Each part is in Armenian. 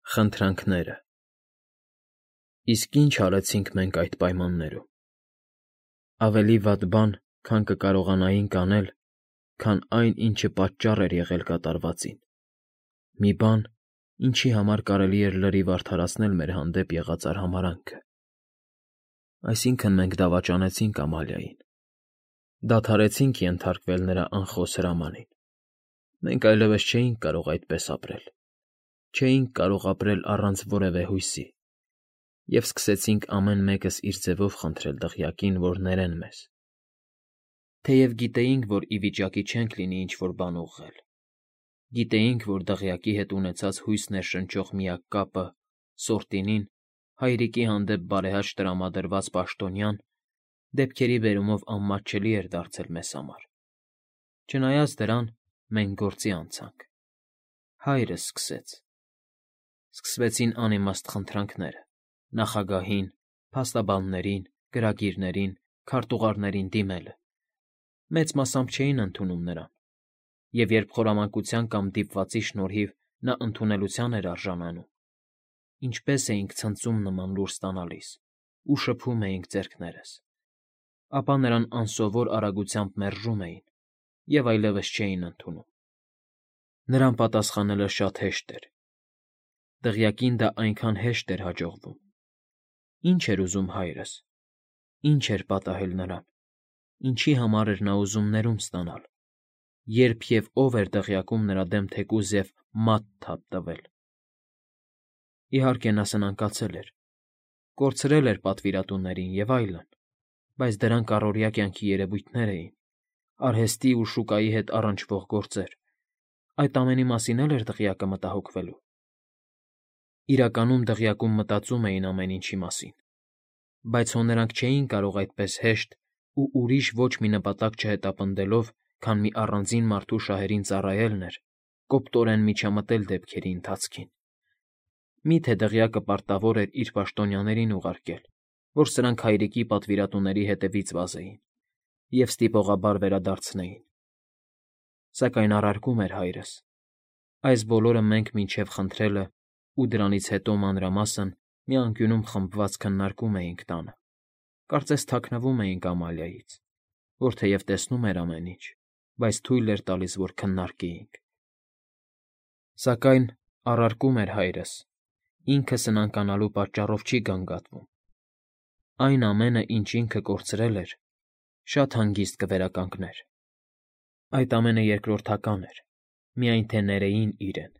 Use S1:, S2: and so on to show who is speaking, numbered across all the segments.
S1: Խնդրանքները։ Իսկ ինչ արեցինք մենք այդ պայմաններում։ Ավելի վատ բան, քան կկարողանայինք անել, քան այն, ինչը պատճառ էր եղել կատարվածին։ Մի բան, ինչի համար կարելի էր լրիվ արդարացնել մեր հանդեպ եղած արհամարհանքը։ Այսինքն՝ մենք դավաճանեցինք Ամալիային։ Դադարեցինք ենթարկվել նրա անխոս հրամանին։ Մենք այլևս չէինք կարող այդպես ապրել։ Չէինք կարող ապրել առանց որևէ հույսի, և սկսեցինք ամեն մեկս իր ձևով խնդրել դղյակին, որ ներեն մեզ։ Թեև գիտեինք, որ ի վիճակի չենք լինի ինչ֊որ բան ուղղել։ Գիտեինք, որ դղյակի հետ ունեցած հույս ներշնչող միակ կապը՝ Սորտինին, հայրիկի հանդեպ բարեհաճ տրամադրված պաշտոնյան, դեպքերի բերումով անմատչելի էր դարձել մեզ համար։ Չնայած դրան, մենք գործի անցանք։ Հայրս սկսեց։ Սկսվեցին անիմաստ խնդրանքները՝ նախագահին, փաստաբաններին, գրագիրներին, քարտուղարներին դիմելը։ Մեծ մասամբ չէին ընդունում նրան, և երբ խորամանկության կամ դիպվածի շնորհիվ նա ընդունելության էր արժանանում, ինչպես էինք ցնծում նման լուր ստանալիս ու շփում էինք ձեռքներս, ապա նրան անսովոր արագությամբ մերժում էին և այլևս չէին ընդունում։ Նրան պատասխանելը շատ հեշտ էր։ Դղյակին դա այնքան հեշտ էր հաջողվում։ Ի՞նչ էր ուզում հայրս։ Ի՞նչ էր պատահել նրան։ Ինչի համար էր նա ուզում ներում ստանալ։ Երբ և ով էր դղյակում նրա դեմ թեկուզ և մատ թափ տվել։ Իհարկե, նա սնանկացել էր, կորցրել էր պատվիրատուներին և այլն, բայց դրանք առօրյա կյանքի երևույթներ էին, արհեստի ու շուկայի հետ առնչվող գործեր։ Այդ ամենի մասին էլ էր դղյակը մտահոգվելու։ Իրականում դղյակում մտածում էին ամեն ինչի մասին, բայց հո նրանք չէին կարող այդպես հեշտ ու ուրիշ ոչ մի նպատակ չհետապնդելով, քան մի առանձին մարդու շահերին ծառայելն էր, կոպտորեն միջամտել դեպքերի ընթացքին։ Մի՞թե դղյակը պարտավոր էր իր պաշտոնյաներին ուղարկել, որ սրանք հայրիկի պատվիրատուների հետևից վազեին և ստիպողաբար վերադարձնեին։ Սակայն առարկում էր հայրս։ Այս բոլորը մենք մինչև խնդրելը ու դրանից հետո մանրամասն մի անկյունում խմբված քննարկում էինք տանը, կարծես թաքնվում էինք Ամալիայից, որ թեև տեսնում էր ամեն ինչ, բայց թույլ էր տալիս, որ քննարկեինք։ Սակայն, առարկում էր հայրս, ինքը սնանկանալու պատճառով չի գանգատվում։ Այն ամենը, ինչ ինքը կորցրել էր, շատ հանգիստ կվերականգներ։ Այդ ամենը երկրորդական էր, միայն թե ներեին իրեն։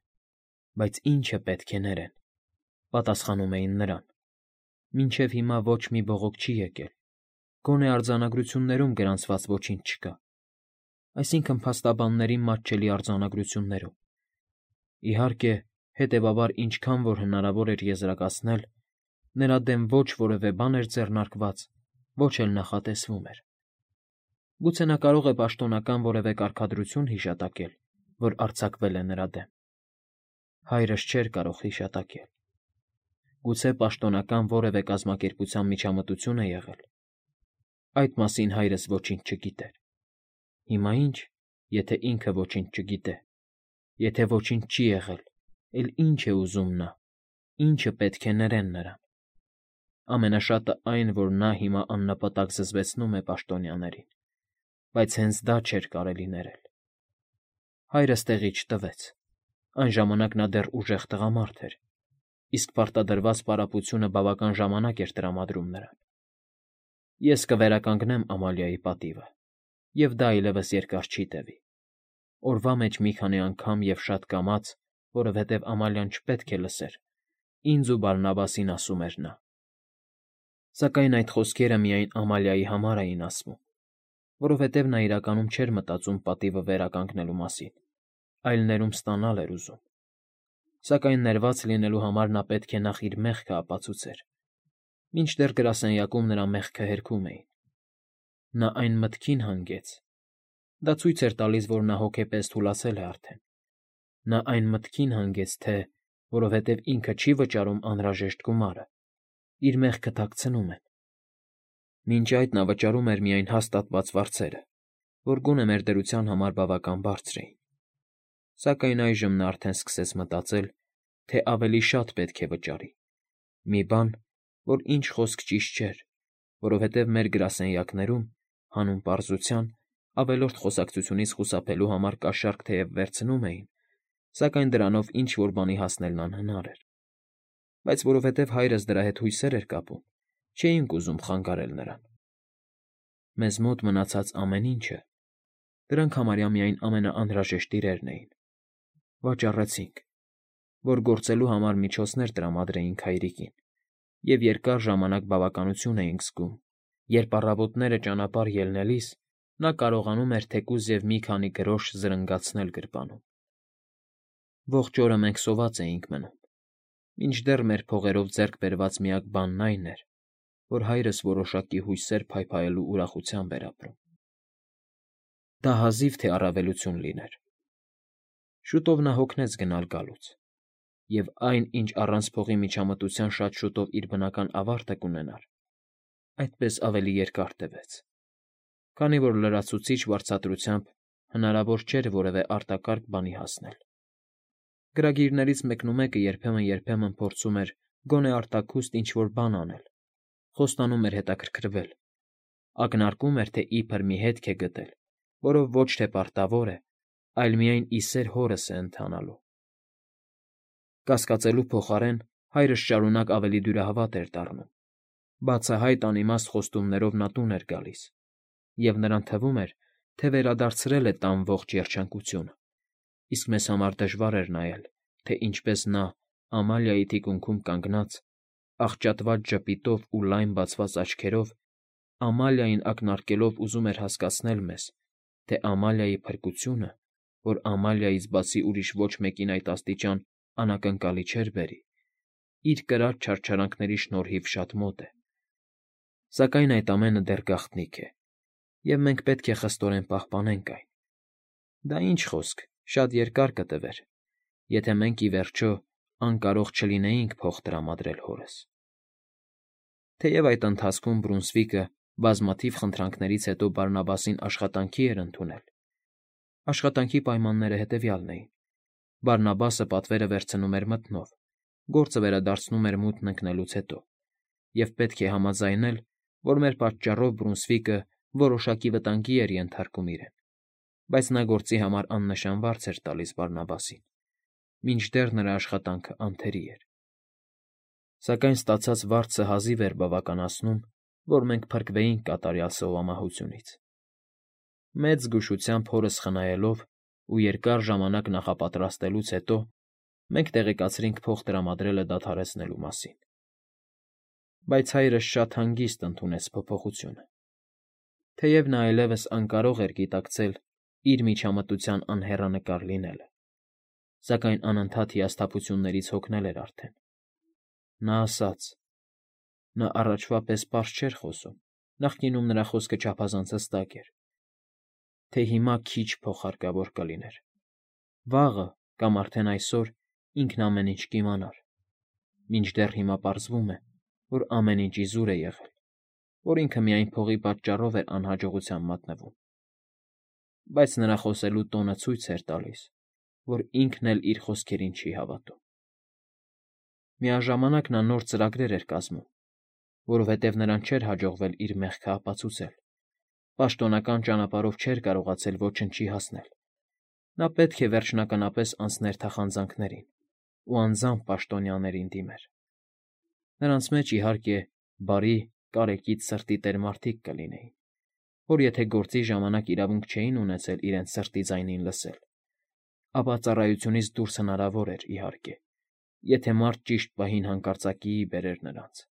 S1: Բայց ի՞նչը պետք է ներեն, պատասխանում էին նրան։ Մինչև հիմա ոչ մի բողոք չի եկել, գոնե արձանագրություններում գրանցված ոչինչ չկա, այսինքն՝ փաստաբանների մատչելի արձանագրություններում։ Իհարկե, հետևաբար ինչքան որ հնարավոր էր եզրակացնել, նրա դեմ ոչ որևէ բան էր ձեռնարկված, ոչ էլ նախատեսվում էր։ Գուցե նա կարող է պաշտոնական որևէ կարգադրություն հիշատակել, որ արձակվել է նրա դեմ։ Հայրս չէր կարող հիշատակել։ Գուցե պաշտոնական որևէ կազմակերպության միջամտություն է եղել։ Այդ մասին հայրս ոչինչ չգիտեր։ Հիմա ինչ, եթե ինքը ոչինչ չգիտե։ Եթե ոչինչ չի եղել, էլ ի՞նչ է ուզում նա, ի՞նչը պետք է ներեն նրան։ Ամենաշատը այն, որ նա հիմա աննպատակ զզվեցնում է պաշտոնյաներին, բայց հենց դա չէր կարելի ներել։ Հայրս տեղի չտվեց։ Այն ժամանակ նա դեռ ուժեղ տղամարդ էր, իսկ պարտադրված պարապությունը բավական ժամանակ էր տրամադրում նրան։ Ես կվերականգնեմ Ամալիայի պատիվը, և դա այլևս երկար չի տևի։ Օրվա մեջ մի քանի անգամ և շատ կամաց, որովհետև Ամալիան չպետք է լսեր, ինձ ու Բարնաբասին ասում էր նա։ Սակայն այդ խոսքերը միայն Ամալիայի համար էին ասվում, որովհետև նա իրականում չէր մտածում պատիվը վերականգնելու մասին, այլ ներում ստանալ էր ուզում։ Սակայն ներված լինելու համար նա պետք է նախ իր մեղքը ապացուցեր, մինչդեռ գրասենյակում նրա մեղքը հերքում էին։ Նա այն մտքին հանգեց։ Դա ցույց էր տալիս, որ նա հոգեպես թուլացել է արդեն։ Նա այն մտքին հանգեց, թե, որովհետև ինքը չի վճարում անհրաժեշտ գումարը, իր մեղքը թաքցնում են։ Մինչ այդ նա վճարում էր միայն հաստատված վարձերը, որ գոնե մեր դրության համար բավական բարձր էին։ Սակայն այժմ նա արդեն սկսեց մտածել, թե ավելի շատ պետք է վճարի։ Մի բան, որ ինչ խոսք ճիշտ չէր, որովհետև մեր գրասենյակներում, հանուն պարզության, ավելորդ խոսակցությունից խուսափելու համար կաշառք թեև վերցնում էին, սակայն դրանով ինչ-որ բանի հասնելն անհնար էր։ Բայց որովհետև հայրս դրա հետ հույսեր էր կապում, չէինք ուզում խանգարել նրան։ Մեզ մոտ մնացած ամեն ինչը, դրանք համարյա միայն ամենաանհրաժեշտ իրերն էին, վաճառեցինք, որ գործելու համար միջոցներ տրամադրեինք հայրիկին, և երկար ժամանակ բավականություն էինք զգում, երբ առավոտները ճանապարհ ելնելիս նա կարողանում էր թեկուզ և մի քանի գրոշ զրնգացնել գրպանում։ Ողջ օրը մենք սոված էինք մնում, մինչդեռ մեր փողերով ձեռք բերված միակ բանն այն էր, որ հայրս որոշակի հույսեր փայփայելու ուրախությամբ էր ապրում։ Դա հազիվ թե առավելություն լիներ։ Շուտով նա հոգնեց գնալ գալուց, և այն, ինչ առանց փողի միջամտության շատ շուտով իր բնական ավարտը կունենար, այդպես ավելի երկար տևեց, քանի որ լրացուցիչ վարձատրությամբ հնարավոր չէր որևէ արտակարգ բանի հասնել։ Գրագիրներից մեկնումեկը երբեմն փորձում էր գոնե արտաքուստ ինչ-որ բան անել, խոստանում էր հետաքրքրվել, ակնարկում էր, թե իբր մի հետք է գտել, որով ոչ թե պարտավոր է, այլ միայն ի սեր հորս է ընթանալու։ Կասկածելու փոխարեն հայրս շարունակ ավելի դյուրահավատ էր դառնում, բացահայտ անիմաստ խոստումներով նա տուն էր գալիս, և նրան թվում էր, թե վերադարձրել է տան ողջ երջանկությունը, իսկ մեզ համար դժվար էր նայել, թե ինչպես նա, Ամալիայի թիկունքում կանգնած, աղճատված ժպիտով ու լայն բացված աչքերով, Ամալիային ակնարկելով ուզում էր հասկացնել մեզ, թե Ամալիայի փրկությունը, որ Ամալիայից բացի ուրիշ ոչ մեկին այդ աստիճան անակնկալի չէր բերի, իր կրած չարչարանքների շնորհիվ շատ մոտ է։ Սակայն այդ ամենը դեռ գաղտնիք է, և մենք պետք է խստորեն պահպանենք այն։ Դա ինչ խոսք, շատ երկար կտևեր, եթե մենք, ի վերջո, անկարող չլինեինք փող տրամադրել հորս։ Թեև այդ ընթացքում Բրունսվիկը բազմաթիվ խնդրանքներից հետո Բարնաբասին աշխատանքի էր ընդունել։ Աշխատանքի պայմանները հետևյալն էին. Բարնաբասը պատվերը վերցնում էր մթնով, գործը վերադարձնում էր մութն ընկնելուց հետո, և պետք է համաձայնել, որ մեր պատճառով Բրունսվիկը որոշակի վտանգի էր ենթարկում իրեն, բայց նա գործի համար աննշան վարձ էր տալիս Բարնաբասին, մինչդեռ նրա աշխատանքը անթերի էր։ Սակայն ստացած վարձը հազիվ էր բավականացնում, որ մենք փրկվեինք կատարյալ սովամահությունից։ Մեծ զգուշությամբ հորս խնայելով ու երկար ժամանակ նախապատրաստելուց հետո մենք տեղեկացրինք փող տրամադրելը դադարեցնելու մասին։ Բայց հայրս շատ հանգիստ ընդունեց փոփոխությունը։ Թեև նա այլևս անկարող էր գիտակցել իր միջամտության անհեռանկար լինելը, սակայն անընդհատ հիասթափություններից հոգնել էր արդեն։ Նա ասաց. նա առաջվա պես պարզ չէր խոսում, նախկինում նրա խոսքը չափազանց հստակ էր, թե հիմա քիչ փող հարկավոր կլիներ։ Վաղը կամ արդեն այսօր ինքն ամեն ինչ կիմանար, մինչդեռ հիմա պարզվում է, որ ամեն ինչ իզուր է եղել, որ ինքը միայն փողի պատճառով էր անհաջողության մատնվում։ Բայց նրա խոսելու տոնը ցույց էր տալիս, որ ինքն էլ իր խոսքերին չի հավատում։ Միաժամանակ նա նոր ծրագրեր էր կազմում, որովհետև նրան չէր հաջողվել իր մեղքը ապացուցել, պաշտոնական ճանապարհով չէր կարողացել ոչնչի հասնել։ Նա պետք է վերջնականապես անցներ թախանձանքներին ու անձամբ պաշտոնյաներին դիմեր։ Նրանց մեջ, իհարկե, բարի, կարեկից սրտի տեր մարդիկ կլինեին, որ եթե գործի ժամանակ իրավունք չէին ունեցել իրենց սրտի ձայնին լսել, ապա ծառայությունից դուրս հնարավոր էր, իհարկե, եթե մարդ ճիշտ պահին հանկարծակիի բերեր նրանց։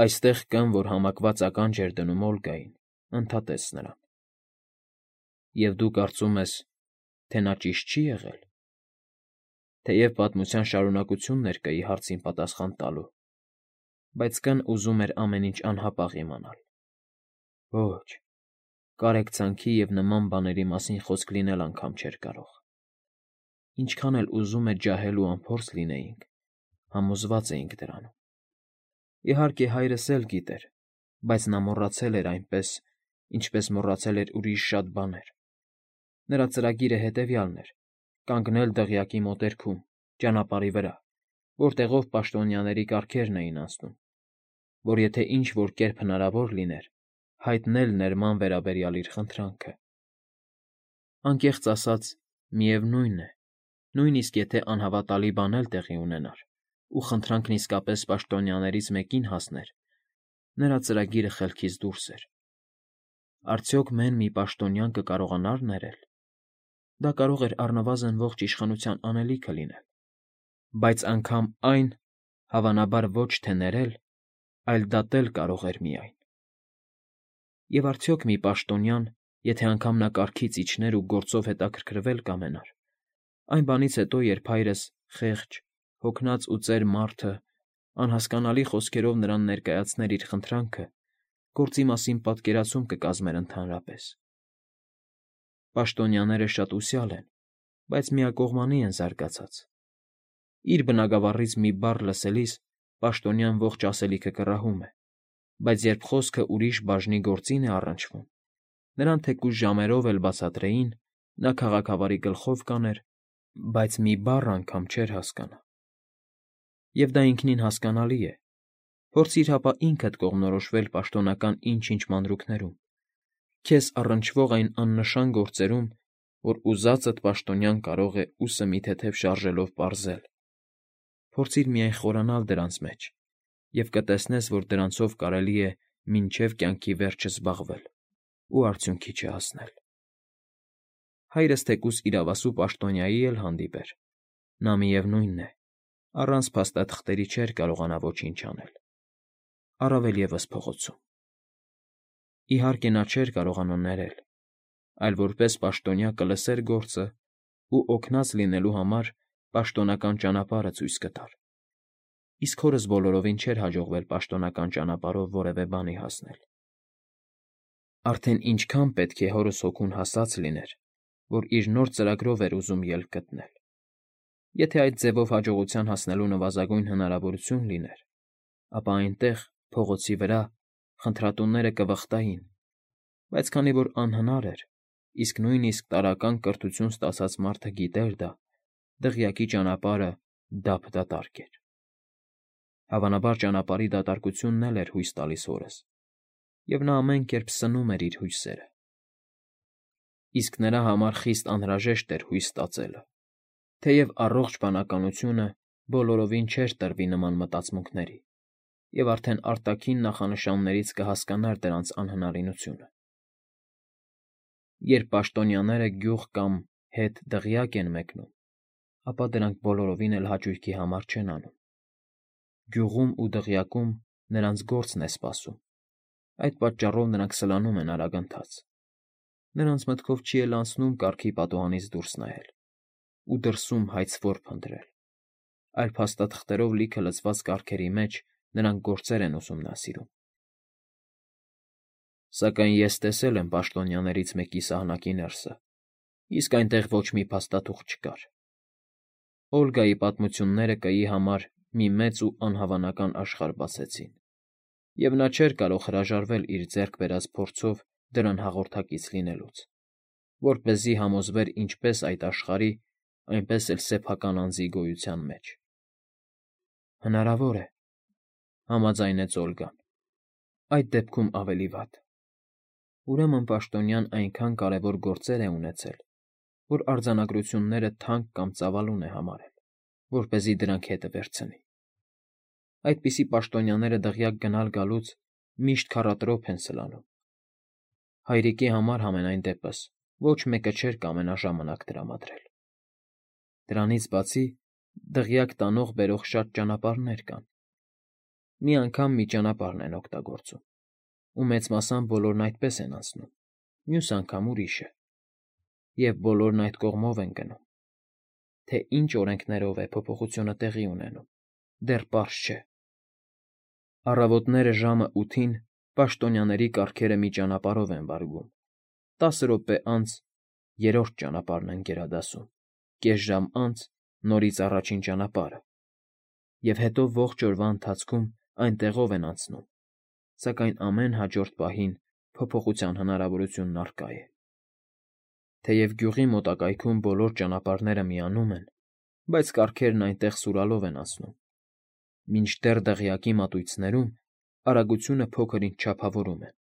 S1: Այստեղ կան, որ համակված ականջ էր դնում Օլգային, ընդհատեց նրան։ Եվ դու կարծում ես, թե նա ճիշտ չի եղել։ Թեև պատմության շարունակությունն էր կայի հարցին պատասխան տալու, բայց Կն ուզում էր ամեն ինչ անհապաղ իմանալ։ Ոչ, կարեկցանքի և նման բաների մասին խոսք լինել անգամ չէր կարող։ Ինչքան էլ ուզում է ջահել ու անփորձ լինեինք, համոզված էինք դրանում։ Իհարկե, հայրս էլ գիտեր, բայց նա մոռացել էր այնպես, ինչպես մոռացել էր ուրիշ շատ բաներ։ Նրա ծրագիրը հետևյալն էր. կանգնել դղյակի մոտերքում, ճանապարհի վրա, որտեղով պաշտոնյաների կառքերն էին անցնում, որ եթե ինչ-որ կերպ հնարավոր լիներ, հայտնել ներման վերաբերյալ իր խնդրանքը։ Անկեղծ ասած, միևնույն է, նույնիսկ եթե անհավատալի բան էլ տեղի ունենար, ու խնդրանքն իսկապես պաշտոնյաներից մեկին հասներ, նրա ծրագիրը խելքից դուրս էր։ Արդյոք մեն մի պաշտոնյան կկարողանար ներել։ Դա կարող էր առնվազն ողջ իշխանության անելիքը լինել, բայց անգամ այն, հավանաբար ոչ թե ներել, այլ դատել կարող էր միայն։ Եվ արդյոք մի պաշտոնյան, եթե անգամ նա կարգից իջներ ու գործով հետաքրքրվել կամենար, այն բանից հետո, երբ հայրս խեղճ, հոգնած ու ծեր մարդը անհասկանալի խոսքերով նրան ներկայացներ իր խնդրանքը, գործի մասին պատկերացում կկազմեր ընդհանրապես։ Պաշտոնյաները շատ ուսյալ են, բայց միակողմանի են զարգացած։ Իր բնագավառից մի բառ լսելիս պաշտոնյան ողջ ասելիքը կռահում է, բայց երբ խոսքը ուրիշ բաժնի գործին է առնչվում, նրան թեկուզ ժամերով էլ բացատրեին, նա քաղաքավարի գլխով կաներ, բայց մի բառ անգամ չէր հասկանա։ Եվ դա ինքնին հասկանալի է։ Փորձիր հապա ինքդ կողմնորոշվել պաշտոնական ինչ-ինչ մանրուքներում, քեզ առնչվող այն աննշան գործերում, որ ուզածդ պաշտոնյան կարող է ուսը մի թեթև շարժելով պարզել։ Փորձիր միայն խորանալ դրանց մեջ, և կտեսնես, որ դրանցով կարելի է մինչև կյանքի վերջը զբաղվել ու արդյունքի չհասնել։ Հայրս թեկուզ իրավասու պաշտոնյայի էլ հանդիպեր, նա միևնույնն է, առանց փաստաթղթերի չէր կարողանա ոչինչ անել, առավել ևս փողոցում։ Իհարկե նա չէր կարողանա ներել, այլ որպես պաշտոնյա կլսեր գործը ու օգնած լինելու համար պաշտոնական ճանապարհը ցույց կտար։ Իսկ հորս բոլորովին չէր հաջողվել պաշտոնական ճանապարհով որևէ բանի հասնել։ Արդեն ինչքան պետք է հորս հոգուն հասած լիներ, որ իր նոր ծրագրով էր ուզում ելք գտնել։ Եթե այդ ձևով հաջողության հասնելու նվազագույն հնարավորություն լիներ, ապա այնտեղ, փողոցի վրա, խնդրատուները կվխտային, բայց քանի որ անհնար էր, իսկ նույնիսկ տարրական կրթություն ստացած մարդը գիտեր դա, դղյակի ճանապարհը դափ-դատարկ էր։ Հավանաբար ճանապարհի դատարկությունն էլ էր հույս տալիս հորս, և նա ամեն կերպ սնում էր իր հույսերը։ Իսկ նրա համար խիստ անհրաժեշտ էր հույս ստացելը, թեև առողջ բանականությունը բոլորովին չէր տրվի նման մտածմունքների, և արդեն արտաքին նախանշաններից կհասկանար դրանց անհնարինությունը։ Երբ պաշտոնյաները գյուղ կամ հետ դղյակ են մեկնում, ապա դրանք բոլորովին էլ հաճույքի համար չեն անում։ Գյուղում ու դղյակում նրանց գործն է սպասում, այդ պատճառով նրանք սլանում են արագընթաց։ Նրանց մտքով չի էլ անցնում կառքի պատուհանից դուրս նայել ու դրսում հայցվոր փնտրել, այլ փաստաթղթերով լիքը լցված կառքերի մեջ նրանք գործեր են ուսումնասիրում։ Սակայն ես տեսել եմ պաշտոնյաներից մեկի սահնակի ներսը, իսկ այնտեղ ոչ մի փաստաթուղթ չկար։ Օլգայի պատմությունները կայի համար մի մեծ ու անհավանական աշխարհ բացեցին, և նա չէր կարող հրաժարվել իր ձեռք բերած փորձով դրան հաղորդակից լինելուց, որպեսզի համոզվեր ինչպես այդ աշխարհի, այնպես էլ սեփական անձի գոյության մեջ։ Հնարավոր է, համաձայնեց Օլգան, այդ դեպքում ավելի վատ։ Ուրեմն պաշտոնյան այնքան կարևոր գործեր է ունեցել, որ արձանագրությունները թանկ կամ ծավալուն է համարել, որպեսզի դրանք հետը վերցնի։ Այդպիսի պաշտոնյաները դղյակ գնալ գալուց միշտ քառատրոփ են սլանում։ Հայրիկի համար համենայն դեպս ոչ մեկը չէր կամենա ժամանակ տրամադրել։ Դրանից բացի դղյակ տանող֊բերող շատ ճանապարհներ կան։ Մի անգամ մի ճանապարհն են օգտագործում, ու մեծ մասամբ բոլորն այդպես են անցնում, մյուս անգամ ուրիշը, և բոլորն այդ կողմով են գնում։ Թե ինչ օրենքներով է փոփոխությունը տեղի ունենում, դեռ պարզ չէ։ Առավոտները ժամը 8-ին պաշտոնյաների կառքերը մի ճանապարհով են վարգում, 10 րոպե անց երրորդ ճանապարհն են գերադասում, կես ժամ անց նորից առաջին ճանապարհը, և հետո ողջ օրվա ընթացքում այնտեղով են անցնում, սակայն ամեն հաջորդ պահին փոփոխության հնարավորությունն առկա է։ Թեև գյուղի մոտակայքում բոլոր ճանապարհները միանում են, բայց կառքերն այնտեղ սուրալով են անցնում, մինչդեռ դղյակի մատույցներում արագությունը փոքր-ինչ չափավորում են,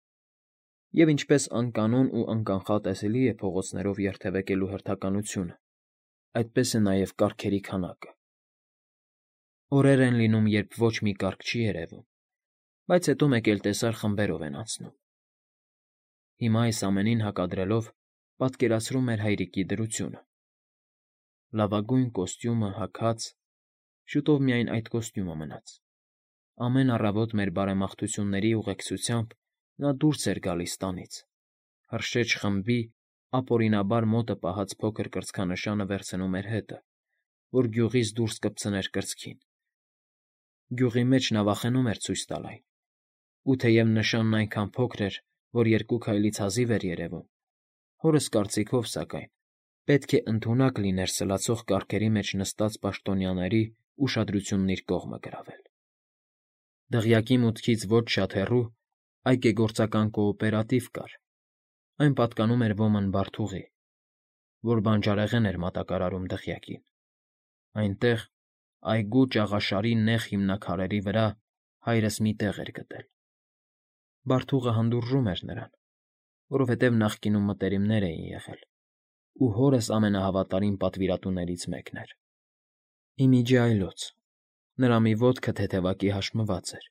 S1: և ինչպես անկանոն ու անկանխատեսելի է փողոցներով երթևեկելու հերթականությունը, այդպես է նաև կառքերի քանակը։ Օրեր են լինում, երբ ոչ մի կառք չի երևում, բայց հետո մեկելտեսար խմբերով են անցնում։ Հիմա այս ամենին հակադրելով պատկերացրում էր հայրիկի դրությունը։ Լավագույն կոստյումը հագած, շուտով միայն այդ կոստյումը մնաց։ Ամեն առավոտ մեր բարեմաղթությունների ուղեկցությամբ նա դուրս էր գալիս տանից, հրշեջ խմբի ապօրինաբար մոտը պահած փոքր կրծքանշանը վերցնում էր հետը, որ գյուղից դուրս կպցներ կրծքին։ Գյուղի մեջ նա վախենում էր ցույց տալ այն, ու թեև նշանն այնքան փոքր էր, որ երկու քայլից հազիվ էր երևում, հորս կարծիքով, սակայն, պետք է ընդունակ լիներ սլացող կառքերի մեջ նստած պաշտոնյաների ուշադրությունն իր կողմը գրավել։ Դղյակի մուտքից ոչ շատ հեռու այգեգործական կոոպերատիվ կար, այն պատկանում էր ոմն Բարթուղի, որ բանջարեղեն էր մատակարարում դղյակին։ Այնտեղ, այգու ճաղաշարի նեղ հիմնաքարերի վրա հայրս մի տեղ էր գտել։ Բարթուղը հանդուրժում էր նրան, որովհետև նախկինում մտերիմներ էին եղել, ու հորս ամենահավատարիմ պատվիրատուներից մեկն էր։ Ի միջի այլոց նրա մի ոտքը թեթևակի հաշմված էր,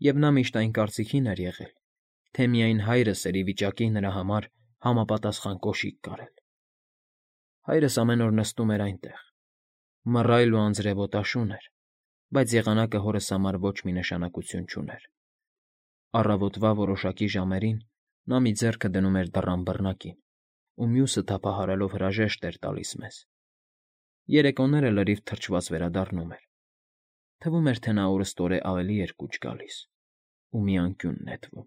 S1: և նա միշտ այն կարծիքին էր եղել, թե միայն հայրս էր ի վիճակի նրա համար համապատասխան կոշիկ կարել։ Հայրս ամեն օր նստում էր այնտեղ, մռայլ ու անձրևոտաշուն էր, բայց եղանակը հորս համար ոչ մի նշանակություն չուներ։ Առավոտվա որոշակի ժամերին նա մի ձեռքը դնում էր դռան բռնակին ու մյուսը թափահարելով հրաժեշտ էր տալիս մեզ։ Երեկոները լրիվ թրջված վերադառնում էր։ Թվում էր, թե նա օրըստօրե ավելի էր կուչ գալիս ու մի անկյուն նետվում։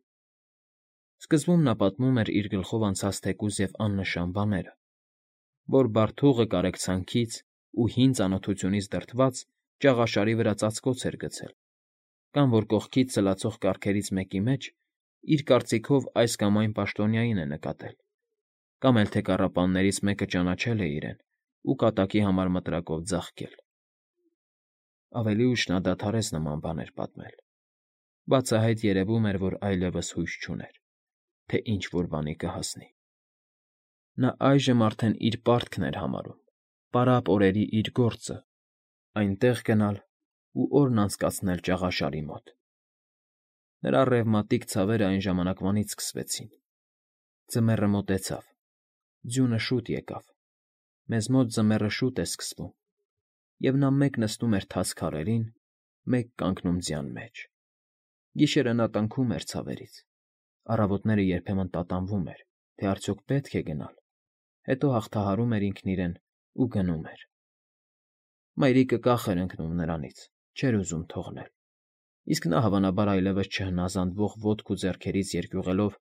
S1: Սկզբում նա պատմում էր իր գլխով անցած թեկուզ և աննշան բաները, որ Բարթուղը կարեկցանքից ու հին ծանոթությունից դրդված ճաղաշարի վրա ծածկոց էր գցել, կամ որ կողքից սլացող կառքերից մեկի մեջ իր կարծիքով այս կամ այն պաշտոնյային է նկատել, կամ էլ թե կառապաններից մեկը ճանաչել է իրեն ու կատակի համար մտրակով ձաղկել։ Ավելի ուշ նա դադարեց նման բաներ պատմել։ Բացահայտ երևում էր, որ այլևս հույս չուներ, թե ինչ֊որ բանի կհասնի։ Նա այժմ արդեն իր պարտքն էր համարում, պարապ օրերի իր գործը, այնտեղ գնալ ու օրն անցկացնել ճաղաշարի մոտ։ Նրա ռևմատիկ ցավերը այն ժամանակվանից սկսվեցին։ Ձմեռը մոտեցավ, ձյունը շուտ եկավ, մեզ մոտ ձմեռը շուտ է սկսվում, և նա մեկ նստում էր թաց քարերին, մեկ կանգնում ձյան մեջ։ Գիշերը նա տնքում էր ցավերից, առավոտները երբեմն տատանվում էր, թե արդյոք պետք է գնալ, հետո հաղթահարում էր ինքն իրեն ու գնում էր։ Մայրիկը կախ էր ընկնում նրանից, չէր ուզում թողնել, իսկ նա հավանաբար այլևս չհնազանդվող ոտք ու ձեռքերից երկյուղելով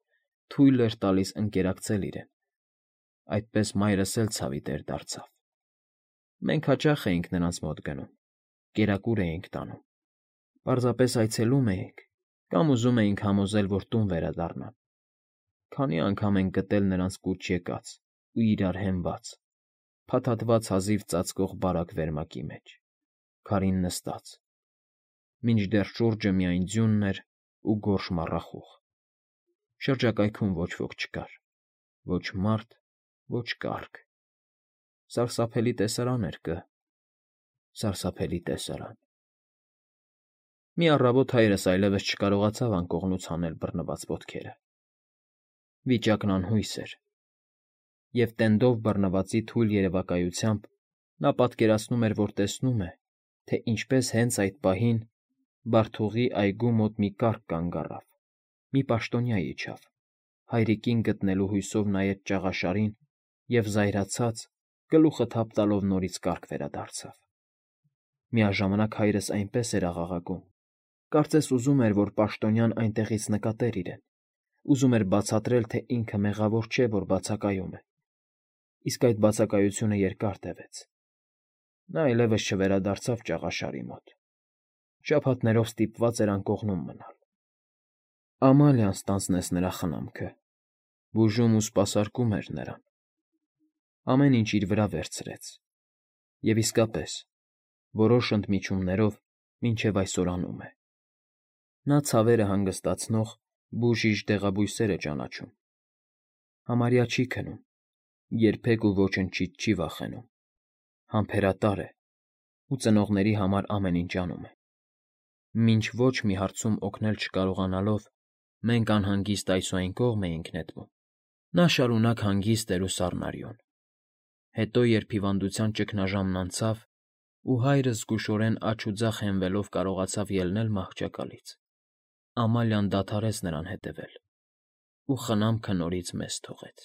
S1: թույլ էր տալիս ընկերակցել իրեն։ Այդպես մայրս էլ ցավի տեր դարձավ։ Մենք հաճախ էինք նրանց մոտ գնում, կերակուր էինք տանում, պարզապես այցելում էինք կամ ուզում էինք համոզել, որ տուն վերադառնան։ Քանի անգամ ենք գտել նրանց կուչ եկած ու իրար հենված, փաթաթված հազիվ ծածկող բարակ վերմակի մեջ, քարին նստած, մինչդեռ շուրջը միայն ձյունն էր ու գորշ մառախուղ։ Շրջակայքում ոչ ոք չկար, ոչ մարդ, ոչ կառք։ Սարսափելի տեսարան էր կը, սարսափելի տեսարան։ Մի առավոտ հայրս այլևս չկարողացավ անկողնուց հանել բռնված ոտքերը։ Վիճակն անհույս էր, և տենդով բռնվածի թույլ երևակայությամբ նա պատկերացնում էր, որ տեսնում է, թե ինչպես հենց այդ պահին Բարթուղի այգու մոտ մի կառք կանգ առավ, մի պաշտոնյա իջավ, հայրիկին գտնելու հույսով նայեց ճաղաշարին և զայրացած, գլուխը թափ տալով նորից կառք վերադարձավ։ Միաժամանակ հայրս այնպես էր աղաղակում, կարծես ուզում էր, որ պաշտոնյան այնտեղից նկատեր իրեն, ուզում էր բացատրել, թե ինքը մեղավոր չէ, որ բացակայում է։ Իսկ այդ բացակայությունը երկար տևեց։ Նա այլևս չվերադարձավ ճաղաշարի մոտ։ Շաբաթներով ստիպված էր անկողնում մնալ։ Ամալիան ստանձնեց նրա խնամքը, բուժում ու սպասարկում էր նրան։ Ամեն ինչ իր վրա վերցրեց։ Եվ իսկապես, որոշ ընդմիջումներով մինչև այսօր անում է։ Նա ցավերը հանգստացնող բուժիչ դեղաբույսեր է ճանաչում։ Համարյա չի քնում, երբեք ու ոչնչից չի վախենում, համբերատար է ու ծնողների համար ամեն ինչ անում է։ Մինչ ոչ մի հարցում օգնել չկարողանալով մենք անհանգիստ այս ու այն կողմ էինք նետվում, նա շարունակ հանգիստ էր ու սառնարյուն։ Հետո, երբ հիվանդության ճգնաժամն անցավ, ու հայրս զգուշորեն աջ ու ձախ հենվելով կարողացավ ելնել մահճակալից, Ամալիան դադարեց նրան հետևել ու խնամքը նորից մեզ թողեց։